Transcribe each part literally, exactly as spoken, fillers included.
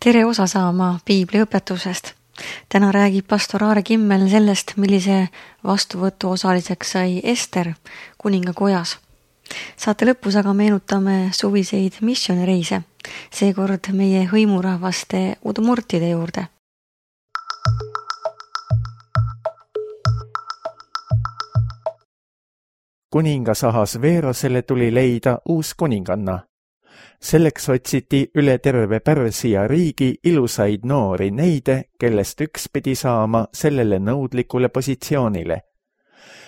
Tere osa saama piibli õpetusest. Täna räägib pastor Aare Kimmel sellest, millise vastuvõtu osaliseks sai Ester kuningakojas. Saate lõpus aga meenutame suviseid missioonireise, seekord meie hõimurahvaste udmurtide juurde. Kuningas Ahasveerosele tuli leida uus kuninganna. Selleks otsiti üle terve Pärsia riigi ilusaid noori neide, kellest üks pidi saama sellele nõudlikule positsioonile.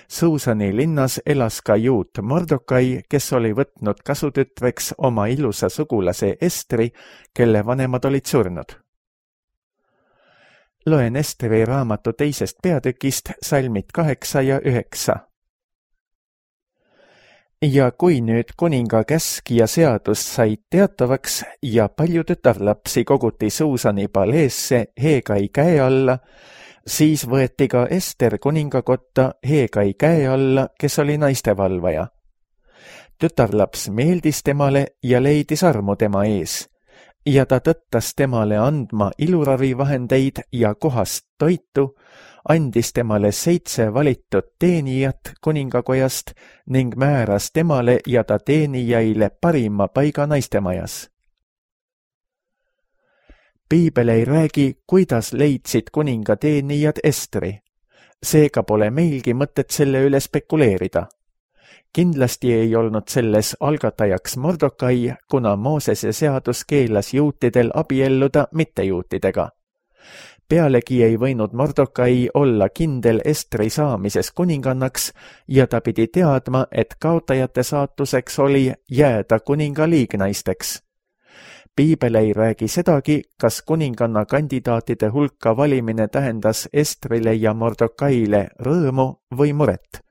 Suusani linnas elas ka juut Mordokai, kes oli võtnud kasutütreks oma ilusa sugulase Estri, kelle vanemad olid surnud. Loen Estri raamatu teisest peatükist salmid kaheksa ja üheksa. Ja kui nüüd kuninga käsk ja seadus said teatavaks ja palju tütarlapsi koguti Suusani paleesse Hegai käe alla, siis võeti ka Ester kuningakotta Hegai käe alla, kes oli naistevalvaja. Tütarlaps meeldis temale ja leidis armu tema ees, ja ta tõttas temale andma iluravivahendeid ja kohast toitu, andis temale seitse valitud teenijat kuningakojast ning määras temale ja ta teenijaile parima paiga naistemajas. Piibel ei räägi, kuidas leidsid kuninga teenijad Estri. Seega pole meilgi mõtet selle üle spekuleerida. Kindlasti ei olnud selles algatajaks Mordokai, kuna Moosese seadus keelas juutidel abielluda mittejuutidega. Pealegi ei võinud Mordokai olla kindel Estri saamises kuningannaks ja ta pidi teadma, et kaotajate saatuseks oli jääda kuninga liignaisteks. Piibel ei räägi sedagi, kas kuninganna kandidaatide hulka valimine tähendas Estrile ja Mordokaile rõõmu või muret.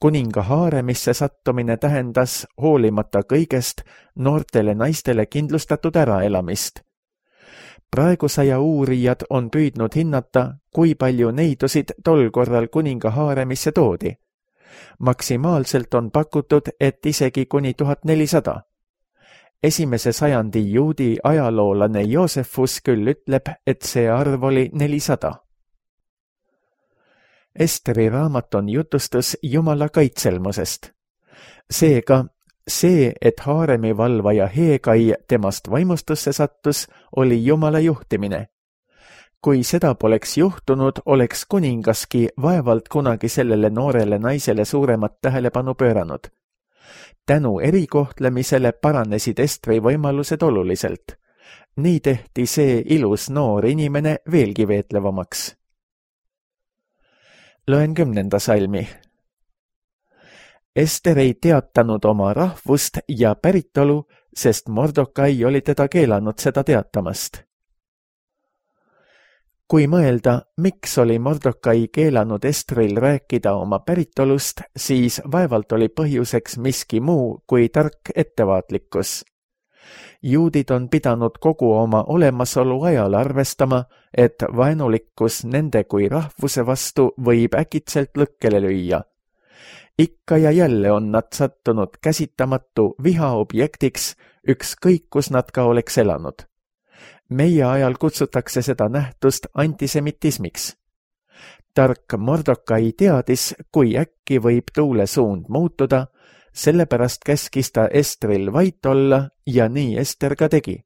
Kuninga haaremisse sattumine tähendas hoolimata kõigest noortele naistele kindlustatud äraelamist. Praegusaja uurijad on püüdnud hinnata, kui palju neidusid tol korral kuninga haaremisse toodi. Maksimaalselt on pakutud, et isegi kuni tuhat nelisada. Esimese sajandi juudi ajaloolane Joosefus küll ütleb, et see arv oli nelisada. Esteri raamat on jutustus Jumala kaitselmusest. Seega, see, et haaremi valvaja Hegai temast vaimustusse sattus, oli Jumala juhtimine. Kui seda poleks juhtunud, oleks kuningaski vaevalt kunagi sellele noorele naisele suuremat tähelepanu pööranud. Tänu erikohtlemisele paranesid Estri võimalused oluliselt. Nii tehti see ilus noor inimene veelgi veetlevamaks. Loen kümnenda salmi. Ester ei teatanud oma rahvust ja päritolu, sest Mordokai oli teda keelanud seda teatamast. Kui mõelda, miks oli Mordokai keelanud Estril rääkida oma päritolust, siis vaevalt oli põhjuseks miski muu kui tark ettevaatlikkus. Juudid on pidanud kogu oma olemasolu ajal arvestama, et vaenulikkus nende kui rahvuse vastu võib äkitselt lõkkele lüüa. Ikka ja jälle on nad sattunud käsitamatu viha objektiks, ükskõik kus nad ka oleks elanud. Meie ajal kutsutakse seda nähtust antisemitismiks. Tark Mordokai teadis, kui äkki võib tuule suund muutuda, sellepärast käskis ta Estril vait olla ja nii Ester ka tegi.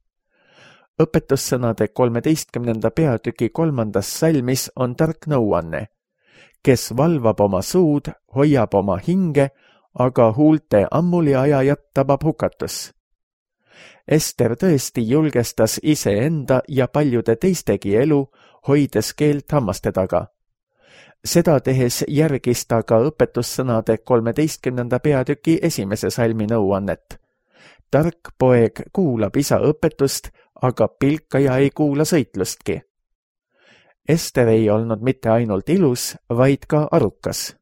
Õpetussõnade kolmeteistkümnenda peatüki kolmandas salmis on tark nõuanne. Kes valvab oma suud, hoiab oma hinge, aga huulte ammuli ajajat tabab hukatus. Ester tõesti julgestas iseenda ja paljude teistegi elu, hoides keelt hammaste taga. Seda tehes järgis ta ka õpetussõnade kolmeteistkümnenda peatüki esimese salmi nõuannet. Tark poeg kuulab isa õpetust, aga pilkaja ei kuula sõitlustki. Ester ei olnud mitte ainult ilus, vaid ka arukas.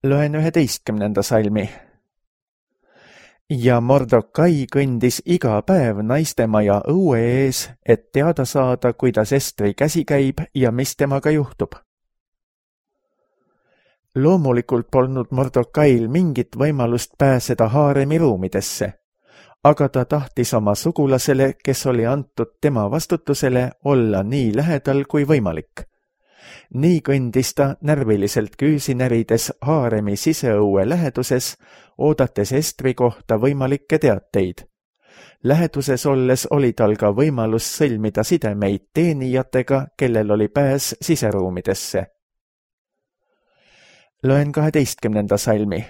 Loen üheteistkümnenda salmi. Ja Mordokai kõndis iga päev naistemaja õue ees, et teada saada, kuidas Estri käsi käib ja mis temaga juhtub. Loomulikult polnud Mordokail mingit võimalust pääseda haaremi ruumidesse, aga ta tahtis oma sugulasele, kes oli antud tema vastutusele, olla nii lähedal kui võimalik. Nii kõndis ta närviliselt küüsi närides haaremi siseõue läheduses, oodates Estri kohta võimalikke teateid. Läheduses olles oli tal ka võimalus sõlmida sidemeid teenijatega, kellel oli pääs siseruumidesse. Loen kaheteistkümnenda salmi.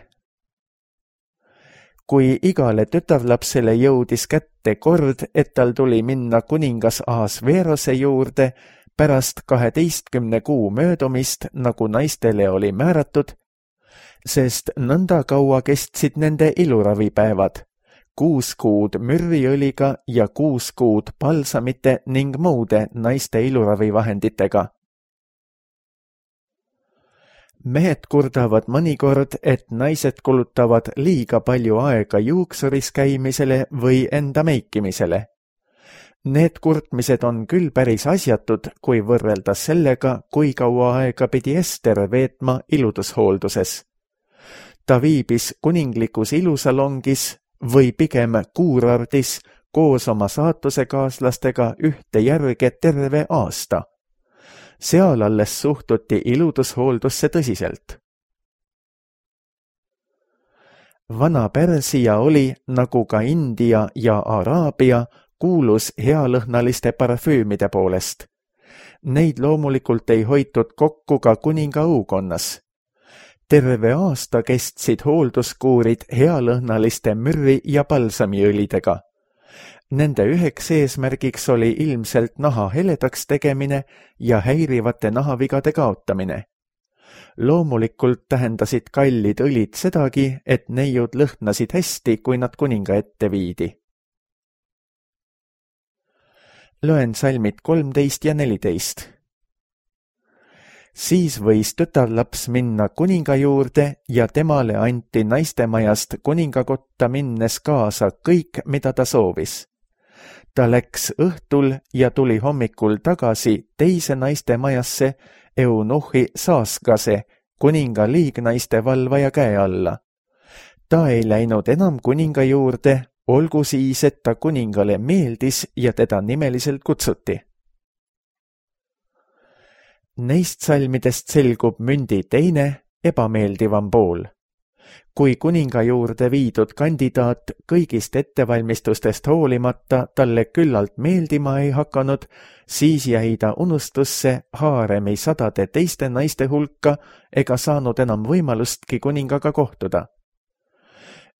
Kui igale tütarlapsele jõudis kätte kord, et tal tuli minna kuningas Ahasverose juurde pärast kaheteistkümne kuu möödumist, nagu naistele oli määratud, sest nõnda kaua kestsid nende iluravipäevad, kuus kuud mürriõliga ja kuus kuud palsamite ning muude naiste iluravivahenditega. Mehed kurdavad mõnikord, et naised kulutavad liiga palju aega juuksuris käimisele või enda meikimisele. Need kurtmised on küll päris asjatud, kui võrrelda sellega, kui kaua aega pidi Ester veetma iludushoolduses. Ta viibis kuninglikus ilusalongis või pigem kuurardis koos oma saatusekaaslastega ühte järge terve aasta. Seal alles suhtuti iludushooldusse tõsiselt. Vana Pärsia oli, nagu ka India ja Araabia, kuulus healõhnaliste parfüümide poolest. Neid loomulikult ei hoitud kokku ka kuninga õukonnas. Terve aasta kestsid hoolduskuurid healõhnaliste mürri ja palsamiõlidega. Nende üheks eesmärgiks oli ilmselt naha heledaks tegemine ja häirivate nahavigade kaotamine. Loomulikult tähendasid kallid õlid sedagi, et neiud lõhnasid hästi, kui nad kuninga ette viidi. Loen salmid kolmteist ja neliteist. Siis võis tütarlaps minna kuninga juurde ja temale anti naistemajast kuningakotta minnes kaasa kõik, mida ta soovis. Ta läks õhtul ja tuli hommikul tagasi teise naistemajasse eunuhhi Saaskase, kuninga liignaiste valvaja käe alla. Ta ei läinud enam kuninga juurde, olgu siis, et ta kuningale meeldis ja teda nimeliselt kutsuti. Neist salmidest selgub mündi teine, ebameeldivam pool. Kui kuninga juurde viidud kandidaat kõigist ettevalmistustest hoolimata talle küllalt meeldima ei hakanud, siis jäi ta unustusse haaremi sadade teiste naiste hulka ega saanud enam võimalustki kuningaga kohtuda.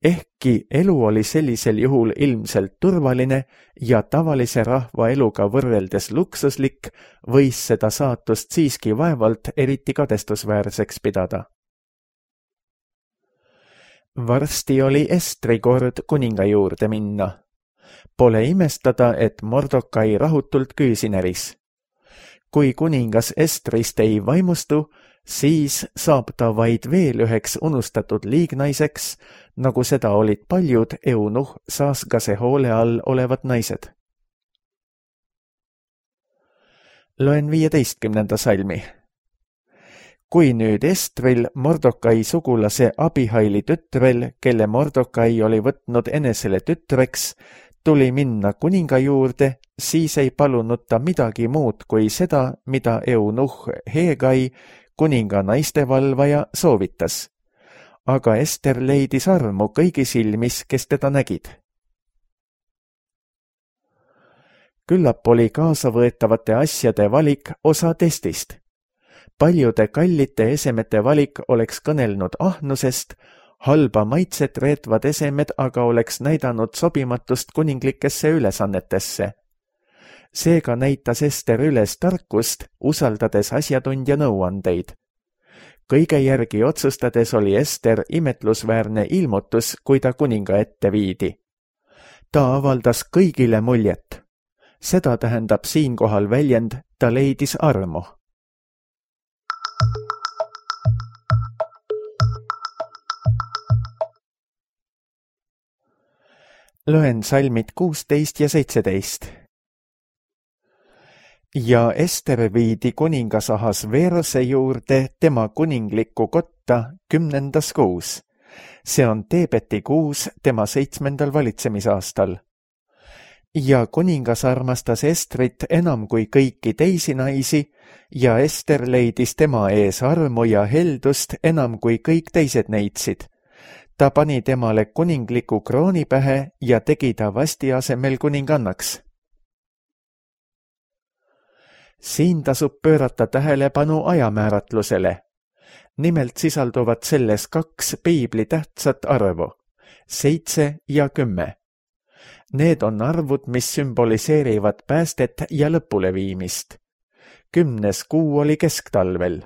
Ehkki elu oli sellisel juhul ilmselt turvaline ja tavalise rahva eluga võrreldes luksuslik, võis seda saatust siiski vaevalt eriti kadestusväärseks pidada. Varsti oli Estri kord kuninga juurde minna. Pole imestada, et Mordokai rahutult küüsi näris. Kui kuningas Estrist ei vaimustu, siis saab ta vaid veel üheks unustatud liignaiseks, nagu seda olid paljud eunuh Saaskase hoole all olevad naised. Loen viieteistkümnenda salmi. Kui nüüd Estril, Mordokai sugulase Abihaili tütrel, kelle Mordokai oli võtnud enesele tütreks, tuli minna kuninga juurde, siis ei palunud ta midagi muud kui seda, mida eunuh Hegai, kuninga naistevalvaja, soovitas. Aga Ester leidis armu kõigi silmis, kes teda nägid. Küllap oli kaasavõetavate asjade valik osa testist. Paljude kallite esemete valik oleks kõnelnud ahnusest, halba maitset reetvad esemed aga oleks näidanud sobimatust kuninglikesse ülesannetesse. Seega näitas Ester üles tarkust, usaldades asjatundja nõuandeid. Kõige järgi otsustades oli Ester imetlusväärne ilmutus, kui ta kuninga ette viidi. Ta avaldas kõigile muljet. Seda tähendab siinkohal väljend, ta leidis armu. Loen salmid kuusteist ja seitseteist. Ja Ester viidi kuningas Ahasverose juurde tema kuninglikku kotta võtta kümnendas kuus. See on Teebeti kuus tema seitsmendal valitsemisaastal. Ja kuningas armastas Estrit enam kui kõiki teisi naisi ja Ester leidis tema ees armu ja heldust enam kui kõik teised neitsid. Ta pani temale kuningliku krooni pähe ja tegi ta Vasti asemel kuningannaks. Siin tasub pöörata tähelepanu ajamääratlusele. Nimelt sisalduvad selles kaks piibli tähtsat arvu, seitse ja kümme. Need on arvud, mis sümboliseerivad päästet ja lõpuleviimist. Kümnes kuu oli kesktalvel.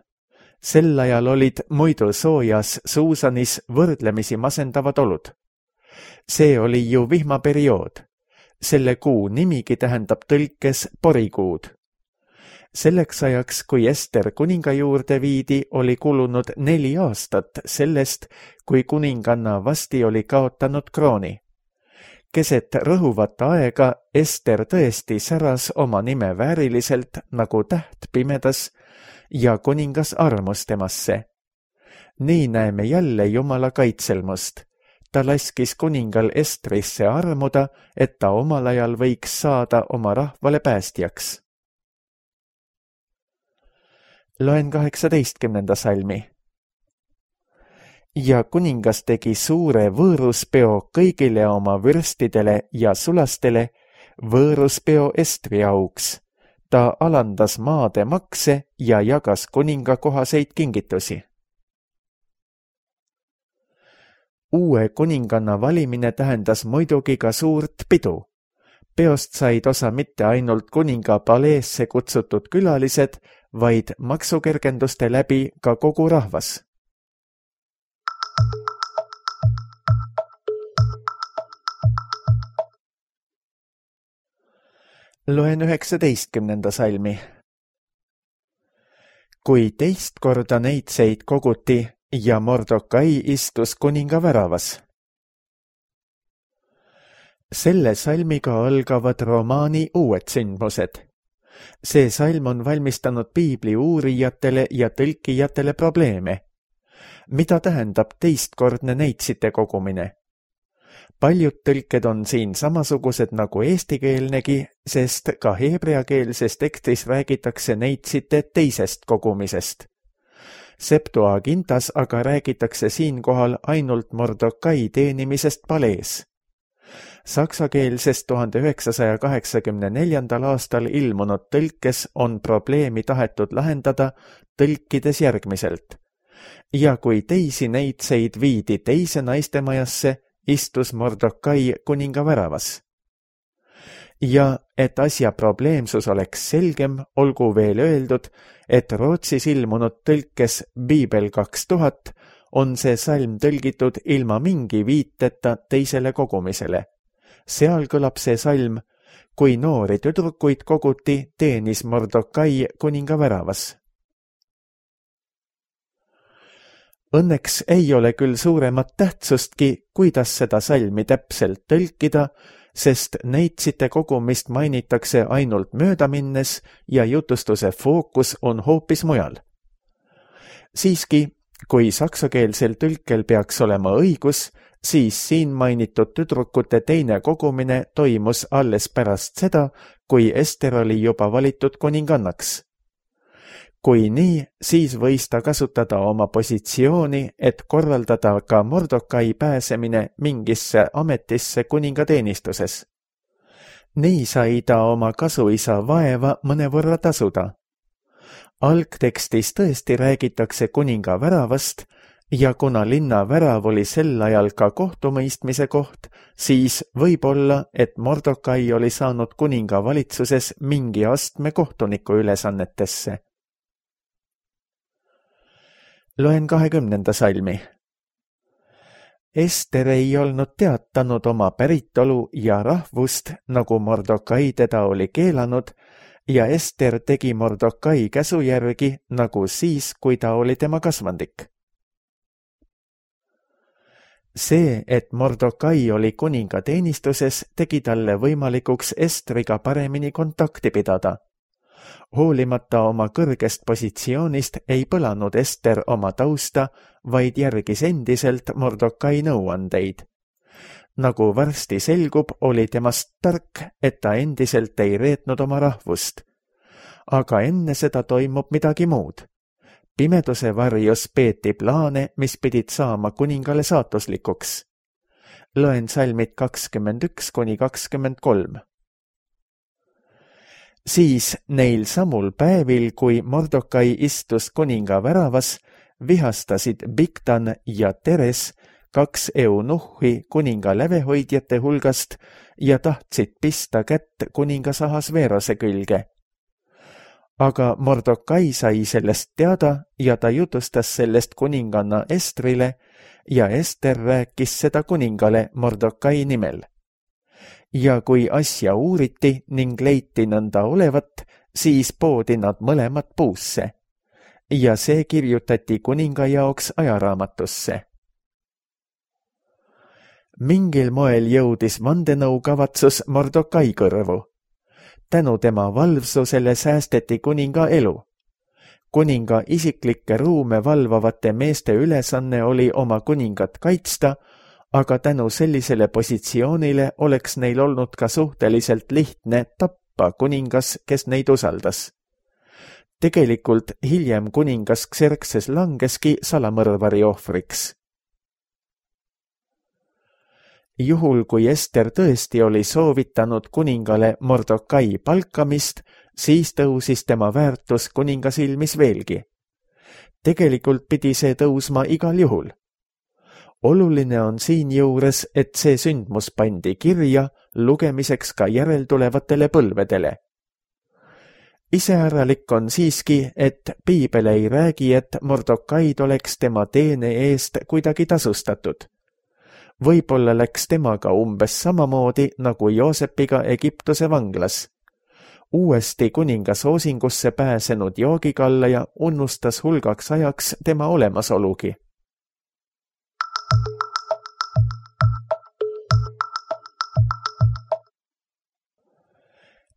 Sel ajal olid muidu soojas Suusanis võrdlemisi masendavad olud. See oli ju vihmaperiood. Selle kuu nimigi tähendab tõlkes porikuud. Selleks ajaks, kui Ester kuninga juurde viidi, oli kulunud neli aastat sellest, kui kuninganna Vasti oli kaotanud krooni. Keset rõhuvat aega Ester tõesti säras oma nime vääriliselt nagu täht pimedas ja kuningas armus temasse. Nii näeme jälle Jumala kaitselmust. Ta laskis kuningal Estrisse armuda, et ta omal ajal võiks saada oma rahvale päästjaks. Loen kaheksateistkümnenda salmi. Ja kuningas tegi suure võõruspeo kõigile oma vürstidele ja sulastele, võõruspeo Estri auks. Ta alandas maade makse ja jagas kuninga kohaseid kingitusi. Uue kuninganna valimine tähendas muidugi ka suurt pidu. Peost said osa mitte ainult kuninga paleesse kutsutud külalised, vaid maksukergenduste läbi ka kogu rahvas. Loen üheksateistkümnenda salmi. Kui teist korda neitseid koguti ja Mordokai istus kuninga väravas. Selle salmiga algavad romaani uued sündmused. See salm on valmistanud piibli uurijatele ja tõlkijatele probleeme. Mida tähendab teistkordne neitsite kogumine? Paljud tõlked on siin samasugused nagu eestikeelnegi, sest ka heebreakeelses tekstis räägitakse neitsite teisest kogumisest. Septuagintas aga räägitakse siinkohal ainult Mordokai teenimisest palees. Saksakeelses tuhande üheksasaja kaheksakümne neljandal aastal ilmunud tõlkes on probleemi tahetud lahendada tõlkides järgmiselt. Ja kui teisi neitseid viidi teise naistemajasse, istus Mordokai kuninga väravas. Ja et asja probleemsus oleks selgem, olgu veel öeldud, et Rootsis ilmunud tõlkes Biibel kaks tuhat on see salm tõlgitud ilma mingi viiteta teisele kogumisele. Seal kõlab see salm, kui noori tüdrukuid koguti, teenis Mordokai kuninga väravas. Õnneks ei ole küll suuremat tähtsustki, kuidas seda salmi täpselt tõlkida, sest neitsite kogumist mainitakse ainult möödaminnes ja jutustuse fookus on hoopis mujal. Siiski, kui saksakeelsel tõlkel peaks olema õigus, siis siin mainitud tüdrukute teine kogumine toimus alles pärast seda, kui Ester oli juba valitud kuningannaks. Kui nii, siis võis ta kasutada oma positsiooni, et korraldada ka Mordokai pääsemine mingisse ametisse kuningateenistuses. Nii sai ta oma kasuisa vaeva mõnevõrra tasuda. Algtekstis tõesti räägitakse kuninga väravast ja kuna linna värav oli sel ajal ka kohtumõistmise koht, siis võib olla, et Mordokai oli saanud kuninga valitsuses mingi astme kohtuniku ülesannetesse. Loen kahekümnenda salmi. Ester ei olnud teatanud oma päritolu ja rahvust, nagu Mordokai teda oli keelanud, ja Ester tegi Mordokai käsu järgi, nagu siis, kui ta oli tema kasvandik. See, et Mordokai oli kuninga teenistuses, tegi talle võimalikuks Estriga paremini kontakti pidada. Hoolimata oma kõrgest positsioonist ei põlanud Ester oma tausta, vaid järgis endiselt Mordokai nõuandeid. Nagu varsti selgub, oli temast tark, et ta endiselt ei reetnud oma rahvust. Aga enne seda toimub midagi muud. Pimeduse varjus peeti plaane, mis pidid saama kuningale saatuslikuks. Loen salmid kakskümmend üks kuni kakskümmend kolm. Siis neil samul päevil, kui Mordokai istus kuninga väravas, vihastasid Bigtan ja Teres, kaks eunuhhi kuninga lävehoidjate hulgast ja tahtsid pista kätt kuningas Ahasveerose külge. Aga Mordokai sai sellest teada ja ta jutustas sellest kuninganna Estrile ja Ester rääkis seda kuningale Mordokai nimel. Ja kui asja uuriti ning leiti nõnda olevat, siis poodi nad mõlemad puusse. Ja see kirjutati kuninga jaoks ajaraamatusse. Mingil moel jõudis vandenõukavatsus Mordokai kõrvu. Tänu tema valvsusele säästeti kuninga elu. Kuninga isiklikke ruume valvavate meeste ülesanne oli oma kuningat kaitsta, aga tänu sellisele positsioonile oleks neil olnud ka suhteliselt lihtne tappa kuningas, kes neid usaldas. Tegelikult hiljem kuningas Xerxes langeski salamõrvari ohvriks. Juhul, kui Ester tõesti oli soovitanud kuningale Mordokai palkamist, siis tõusis tema väärtus kuninga silmis veelgi. Tegelikult pidi see tõusma igal juhul. Oluline on siin juures, et see sündmus pandi kirja lugemiseks ka järeltulevatele põlvedele. Iseäralik on siiski, et piibel ei räägi, et Mordokaid oleks tema teene eest kuidagi tasustatud. Võib-olla läks temaga umbes samamoodi nagu Joosepiga Egiptuse vanglas. Uuesti kuninga soosingusse pääsenud joogikallaja unnustas hulgaks ajaks tema olemasolugi.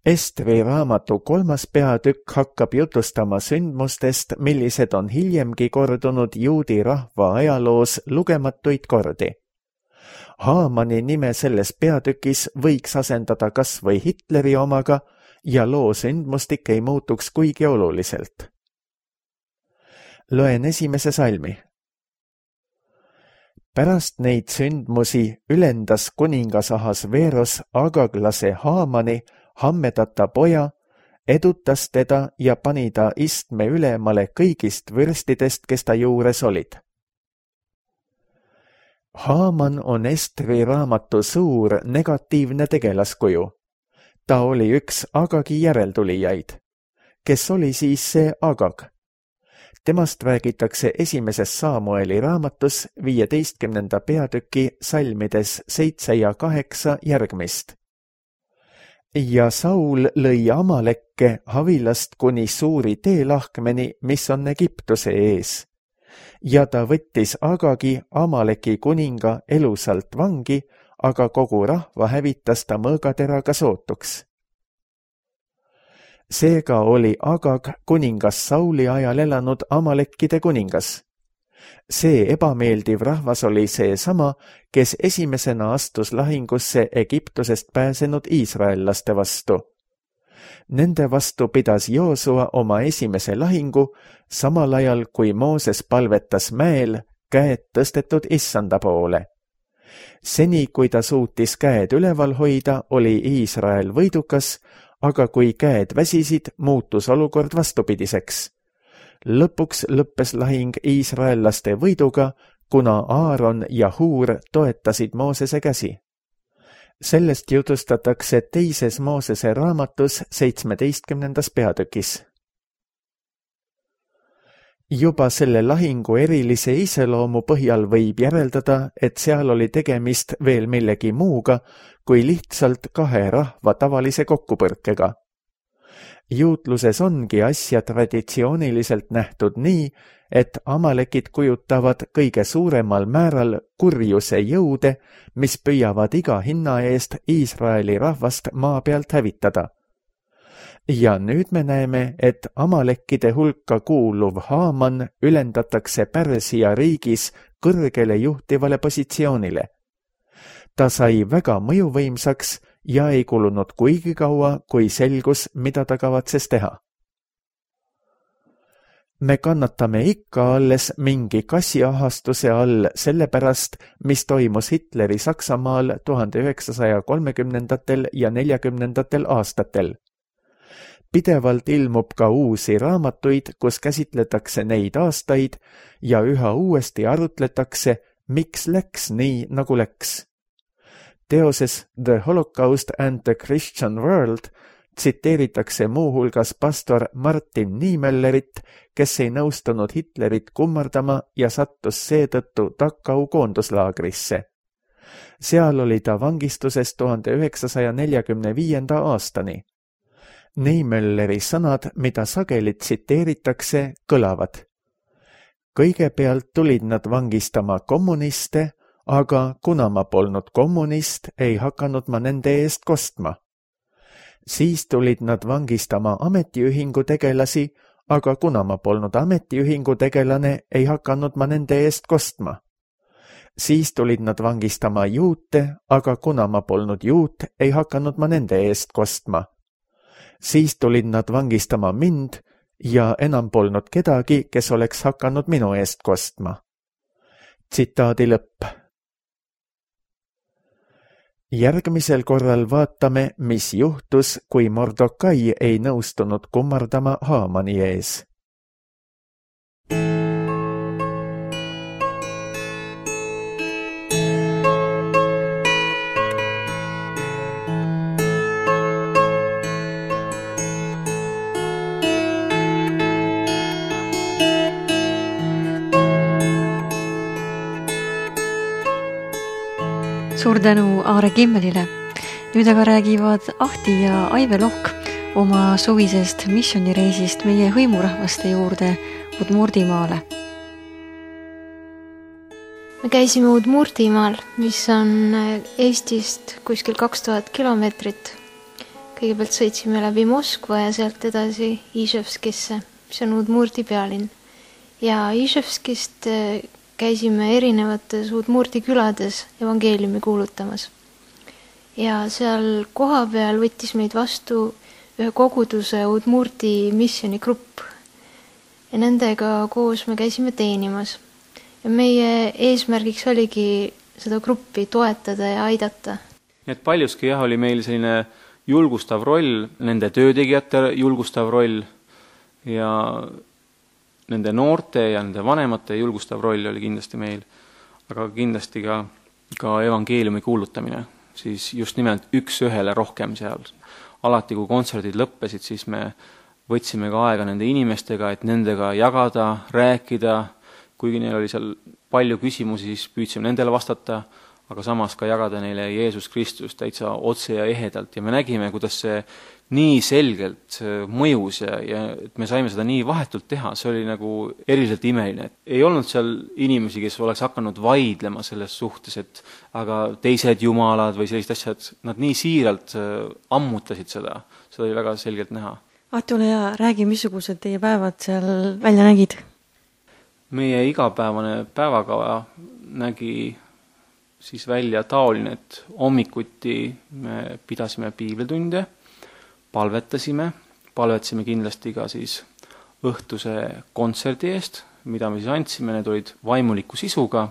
Estri raamatu kolmas peatükk hakkab jutustama sündmustest, millised on hiljemgi kordunud juudi rahva ajaloos lugematuid kordi. Haamani nime selles peatükis võiks asendada kas või Hitleri omaga ja loo sündmustik ei muutuks kuigi oluliselt. Loen esimese salmi. Pärast neid sündmusi ülendas kuningas Ahasveeros Agaglase Haamani, Hammedata poja, edutas teda ja pani ta istme ülemale kõigist vürstidest, kes ta juures olid. Haaman on Estri raamatu suur negatiivne tegelaskuju. Ta oli üks Agagi järeltulijaid. Kes oli siis see Agag? Temast räägitakse esimeses Saamueli raamatus viieteistkümnenda peatüki salmides seitse ja kaheksa järgmist. Ja Saul lõi Amalekke Havilast kuni suuri teelahkmeni, mis on Egiptuse ees. Ja ta võttis Agagi, Amaleki kuninga, elusalt vangi, aga kogu rahva hävitas ta mõõgateraga sootuks. Seega oli Agag kuningas Sauli ajal elanud Amalekkide kuningas. See ebameeldiv rahvas oli see sama, kes esimesena astus lahingusse Egiptusest pääsenud iisraellaste vastu. Nende vastu pidas Joosua oma esimese lahingu, samal ajal kui Mooses palvetas mäel, käed tõstetud issanda poole. Seni, kui ta suutis käed üleval hoida, oli Iisrael võidukas, aga kui käed väsisid, muutus olukord vastupidiseks. Lõpuks lõppes lahing iisraellaste võiduga, kuna Aaron ja Huur toetasid Moosese käsi. Sellest jutustatakse teises Moosese raamatus seitsmeteistkümnendas peatükis. Juba selle lahingu erilise iseloomu põhjal võib järeldada, et seal oli tegemist veel millegi muuga kui lihtsalt kahe rahva tavalise kokkupõrkega. Juutluses ongi asja traditsiooniliselt nähtud nii, et amalekid kujutavad kõige suuremal määral kurjuse jõude, mis püüavad iga hinna eest Iisraeli rahvast maa pealt hävitada. ja nüüd me näeme, et amalekkide hulka kuuluv Haaman ülendatakse Pärsia riigis kõrgele juhtivale positsioonile. Ta sai väga mõjuvõimsaks ja ei kulunud kuigi kaua, kui selgus, mida ta kavatses teha. Me kannatame ikka alles mingi kassiahastuse all sellepärast, mis toimus Hitleri Saksamaal tuhande üheksasaja kolmekümnendatel ja neljakümnendatel aastatel. Pidevalt ilmub ka uusi raamatuid, kus käsitletakse neid aastaid ja üha uuesti arutletakse, miks läks nii, nagu läks. Teoses The Holocaust and the Christian World tsiteeritakse muuhulgas pastor Martin Niemöllerit, kes ei nõustunud Hitlerit kummardama ja sattus seetõttu Dachau koonduslaagrisse. Seal oli ta vangistuses tuhande üheksasaja neljakümne viienda aastani. Niemölleri sõnad, mida sageli tsiteeritakse, kõlavad. Kõigepealt tulid nad vangistama kommuniste, aga kuna ma polnud kommunist, ei hakanud ma nende eest kostma. Siis tulid nad vangistama ametiühingu tegelasi, aga kuna ma polnud ametiühingu tegelane, ei hakanud ma nende eest kostma. Siis tulid nad vangistama juute, aga kuna ma polnud juut, ei hakanud ma nende eest kostma. Siis tulid nad vangistama mind ja enam polnud kedagi, kes oleks hakanud minu eest kostma. Tsitaadi lõpp. Järgmisel korral vaatame, mis juhtus, kui Mordokai ei nõustunud kummardama Haamani ees. Suur tänu Aare Kimmelile. Nüüd aga räägivad Ahti ja Aive Lohk oma suvisest missioonireisist meie hõimurahvaste juurde Udmurtimaale. Me käisime Udmurtimaal, mis on Eestist kuskil kaks tuhat kilomeetrit. Kõigepealt sõitsime läbi Moskva ja sealt edasi Iževskisse, mis on Udmurti pealinn. Ja Iževskist käisime erinevates Udmurti külades evangeeliumi kuulutamas. Ja seal koha peal võttis meid vastu ühe koguduse Udmurti missioonigrupp. Ja nendega koos me käisime teenimas. Ja meie eesmärgiks oligi seda gruppi toetada ja aidata. Et paljuski jah, oli meil selline julgustav roll, nende töötegijate julgustav roll ja nende noorte ja nende vanemate julgustav roll oli kindlasti meil, aga kindlasti ka, ka evangeeliumi kuulutamine, siis just nimelt üks ühele rohkem seal. Alati, kui kontserdid lõppesid, siis me võtsime ka aega nende inimestega, et nendega jagada, rääkida, kuigi neil oli seal palju küsimusi, siis püüdsime nendele vastata, aga samas ka jagada neile Jeesus Kristus täitsa otse ja ehedalt ja me nägime, kuidas see nii selgelt mõjus ja, ja et me saime seda nii vahetult teha, see oli nagu eriliselt imeline. Ei olnud seal inimesi, kes oleks hakanud vaidlema selles suhtes, et aga teised jumalad või sellised asjad, nad nii siiralt ammutasid seda, seda oli väga selgelt näha. Ahti, ole hea, räägi, missugused teie päevad seal välja nägid? Meie igapäevane päevakava nägi siis välja taoline, et hommikuti me pidasime piiblitunde, palvetasime, palvetasime kindlasti ka siis õhtuse kontserdi eest, mida me siis andsime, need olid vaimuliku sisuga,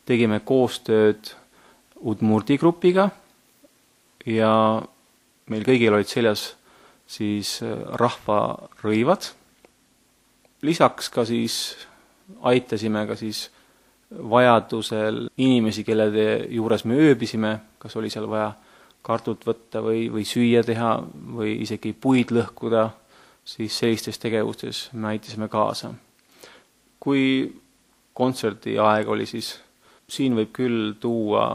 tegime koostööd Udmurti grupiga ja meil kõigil olid seljas siis rahvarõivad. Lisaks ka siis aitasime ka siis vajadusel inimesi, kelle juures me ööbisime, kas oli seal vaja kartut võtta või, või süüa teha või isegi puid lõhkuda, siis sellistes tegevustes me aitasime kaasa. Kui kontserdi aeg oli, siis siin võib küll tuua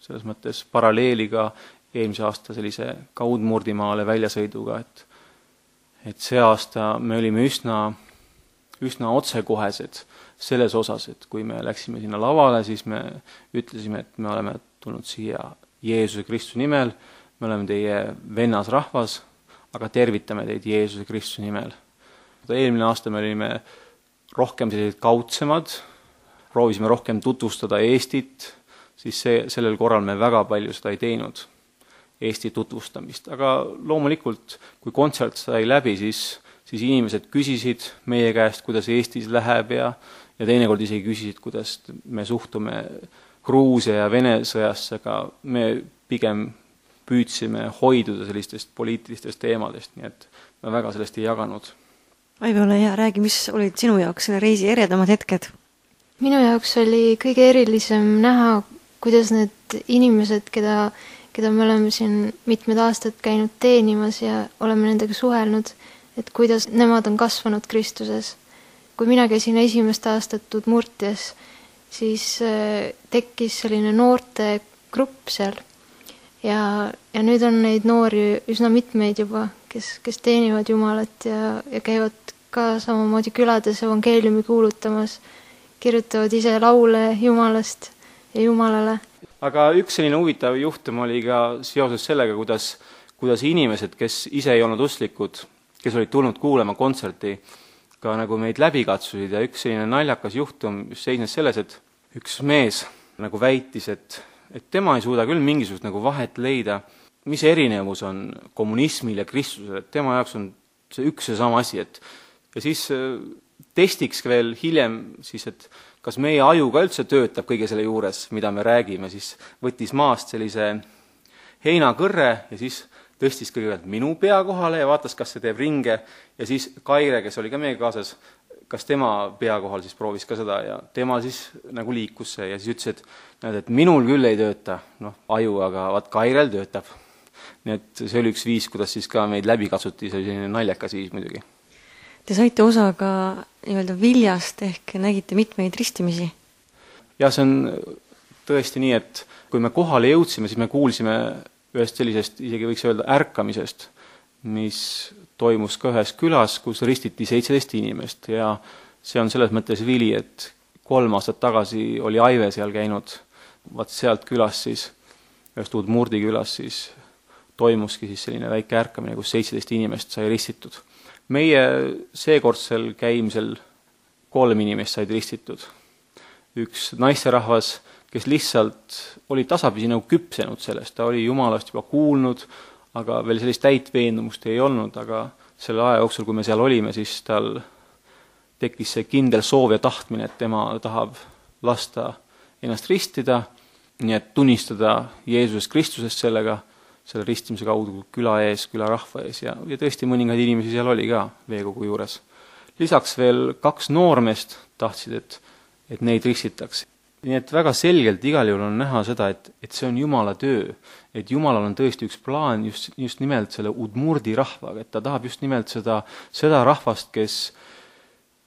selles mõttes paralleeliga eelmise aasta sellise ka Udmurtimaale väljasõiduga, et, et see aasta me olime üsna, üsna otsekohesed selles osas, et kui me läksime sinna lavale, siis me ütlesime, et me oleme tulnud siia Jeesuse Kristuse nimel, me oleme teie vennas rahvas, aga tervitame teid Jeesuse Kristuse nimel. Eelmine aasta me olime rohkem sellised kaudsemad, proovisime rohkem tutvustada Eestit, siis see, sellel korral me väga palju seda ei teinud, Eesti tutvustamist. Aga loomulikult, kui kontsert sai läbi, siis, siis inimesed küsisid meie käest, kuidas Eestis läheb ja, ja teinekord isegi küsisid, kuidas me suhtume Gruusia ja Vene sõjasse, aga me pigem püüdsime hoiduda sellistest poliitilistest teemadest, nii et me väga sellest ei jaganud. Aive, ole hea, räägi, mis olid sinu jaoks selle reisi eredamad hetked? Minu jaoks oli kõige erilisem näha, kuidas need inimesed, keda, keda me oleme siin mitmed aastad käinud teenimas ja oleme nendega suhelnud, et kuidas nemad on kasvanud Kristuses. Kui mina käisin esimest aastat Udmurtias, siis tekkis selline noorte grupp seal ja, ja nüüd on neid noori üsna mitmeid juba, kes, kes teenivad Jumalat ja, ja käivad ka samamoodi külades evangeeliumi kuulutamas, kirjutavad ise laule Jumalast ja Jumalale. Aga üks selline huvitav juhtum oli ka seoses sellega, kuidas, kuidas inimesed, kes ise ei olnud usklikud, kes olid tulnud kuulema kontserti, ka nagu meid läbi katsusid ja üks selline naljakas juhtum seisnes selles, et üks mees nagu väitis, et, et tema ei suuda küll mingisugust nagu vahet leida, mis erinevus on kommunismil ja Kristusel, et tema jaoks on see üks ja sama asi, et ja siis testiks veel hiljem siis, et kas meie aju ka üldse töötab kõige selle juures, mida me räägime, siis võttis maast sellise heinakõrre ja siis tõstis kõigepealt minu pea kohale ja vaatas, kas see teeb ringe ja siis Kaire, kes oli ka meie kaasas, kas tema pea kohal siis proovis ka seda ja tema siis nagu liikus see ja siis ütles, et, näed, et minul küll ei tööta noh, aju, aga vaat Kairel töötab. Nii et see oli üks viis, kuidas siis ka meid läbi katsuti, see oli selline naljakas viis muidugi. Te saite osa ka nii-öelda viljast ehk nägite mitmeid ristimisi? Ja see on tõesti nii, et kui me kohale jõudsime, siis me kuulsime ühest sellisest, isegi võiks öelda ärkamisest, mis toimus ka ühes külas, kus ristiti seitseteist inimest ja see on selles mõttes vili, et kolm aastat tagasi oli Aive seal käinud, vaat sealt külas siis, ühest Udmurdi külas siis toimuski siis selline väike ärkamine, kus seitseteist inimest sai ristitud. Meie seekordsel käimisel kolm inimest said ristitud. Üks naisterahvas, kes lihtsalt oli tasapisi nagu küpsenud sellest, ta oli Jumalast juba kuulnud, aga veel sellist täit veendumust ei olnud, aga selle aja jooksul, kui me seal olime, siis tal tekkis see kindel soov ja tahtmine, et tema tahab lasta ennast ristida, nii et tunnistada Jeesusest Kristusest sellega, selle ristimise kaudu küla ees, küla rahva ees ja, ja tõesti mõningaid inimesi seal oli ka veekogu juures. Lisaks veel kaks noormest tahtsid, et, et neid ristitaks. Nii et väga selgelt igal juhul on näha seda, et, et see on Jumala töö, et Jumalal on tõesti üks plaan just, just nimelt selle Udmurdi rahvaga, et ta tahab just nimelt seda, seda rahvast, kes,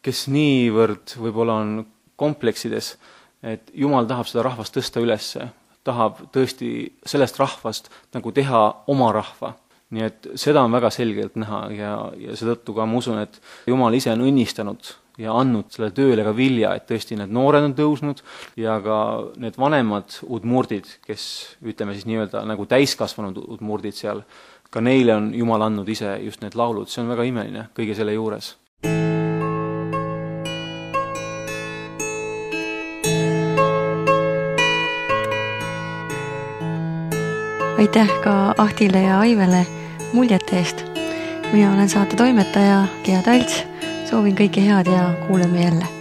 kes niivõrd võib-olla on kompleksides, et Jumal tahab seda rahvast tõsta ülesse, tahab tõesti sellest rahvast nagu teha oma rahva. Nii et seda on väga selgelt näha ja, ja seetõttu ka ma usun, et Jumal ise on õnnistanud ja andnud selle tööle ka vilja, et tõesti need noored on tõusnud ja ka need vanemad udmurdid, kes ütleme siis nii-öelda nagu täiskasvanud udmurdid seal, ka neile on Jumal andnud ise just need laulud, see on väga imeline kõige selle juures. Aitäh ka Ahtile ja Aivele muljete eest. Mina olen saate toimetaja Gea Talts, soovin kõike head ja kuuleme jälle.